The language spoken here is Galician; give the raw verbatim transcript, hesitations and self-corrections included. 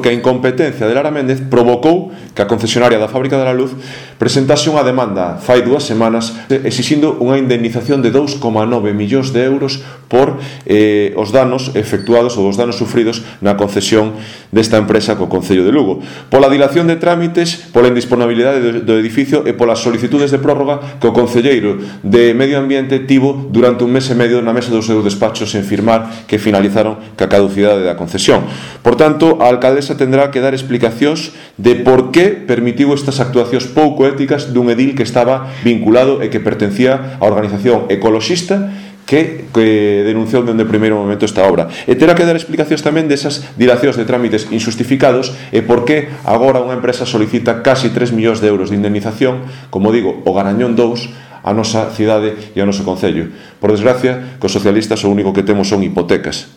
porque a incompetencia de Lara Méndez provocou que a concesionaria da Fábrica de la Luz presentase unha demanda fai dúas semanas exixindo unha indemnización de dous coma nove millóns de euros por eh, os danos efectuados ou os danos sufridos na concesión desta empresa co Concello de Lugo, pola dilación de trámites, pola indisponibilidade do, do edificio e polas solicitudes de prórroga que o concelleiro de Medio Ambiente tivo durante un mes e medio na mesa dos seus despachos en firmar que finalizaron ca caducidade da concesión. Por tanto, a alcaldesa tendrá que dar explicacións de por que permitiu estas actuacións pouco éticas dun edil que estaba vinculado e que pertencía á organización ecoloxista que, que denunciou dende o primeiro momento esta obra. E terá que dar explicacións tamén desas dilacións de trámites injustificados e por que agora unha empresa solicita casi tres millóns de euros de indemnización, como digo, o Garañón dous, a nosa cidade e ao noso concello. Por desgracia, cos socialistas o único que temos son hipotecas.